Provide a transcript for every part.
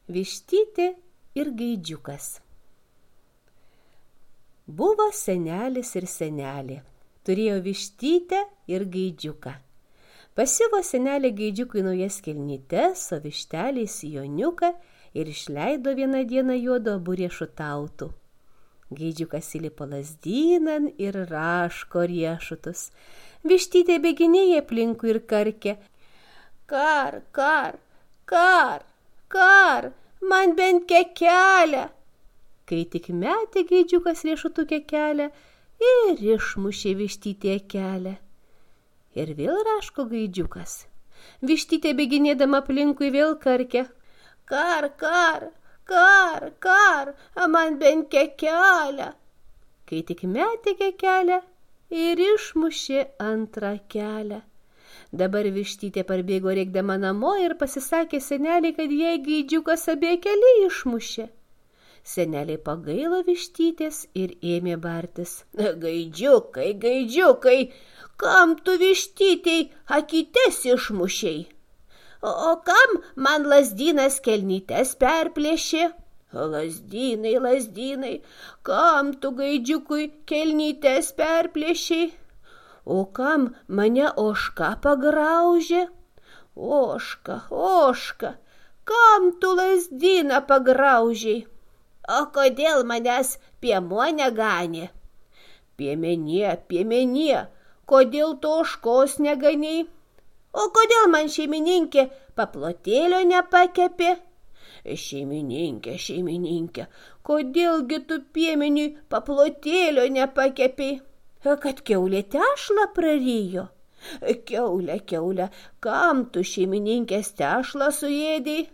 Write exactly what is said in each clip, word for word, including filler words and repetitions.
Vištytė ir gaidžiukas. Buvo senelis ir senelė. Turėjo vištytę ir gaidžiuką. Pasiuvo senelė gaidžiukui naujas kelnytes, o vištelė sijoniuką ir išleido vieną dieną juodu abu riešutautų. Gaidžiukas įlipo lazdynan ir raško riešutus. Vištytė bėginėja aplinkui ir karkė: Kar, kar, kar, kar, man bent kekelę. Kai tik metė gaidžiukas riešutų kekelę ir išmušė vištytė kelią. Ir vėl raško gaidžiukas. Vištytė bėginėdama aplinkui vėl karkė: Kar, kar, kar, kar, man bent kekelę. Kai tik metė kekelę ir išmušė antrą kelią. Dabar vištytė parbėgo rėkdama namo ir pasisakė seneliai, kad jai gaidžiukas abie keliai išmušė. Seneliai pagailo vištytės ir ėmė bartis: Gaidžiukai, gaidžiukai, kam tu vištytei akytes išmušei? O, o kam man lazdynas kelnytes perplėšė? Lazdynai, lazdynai, kam tu gaidžiukui kelnytes perplėšei? O kam mane ožka pagraužė? Ožka, ožka, kam tu lazdyną pagraužei? O kodėl manęs piemuo neganė? Piemenie, piemenie, kodėl tu ožkos neganiai? O kodėl man šeimininkė paplotėlio nepakepė? Šeimininkė, šeimininkė, kodėlgi tu piemeniui paplotėlio nepakepei? Kad kiaulė tešlą prarijo? Kiaulė, kiaulė, kam tu šeimininkės tešlą suėdei?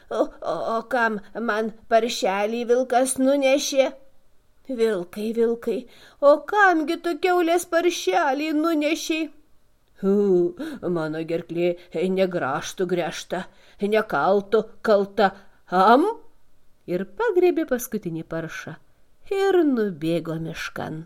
O, o, o kam man paršelį vilkas nunešė? Vilkai, vilkai, o kamgi tu kiaulės paršelį nunešei? Hu, mano gerklė negrąžtų gręžta, nekaltų kalta. Am? Ir pagriebė paskutinį paršą ir nubėgo miškan.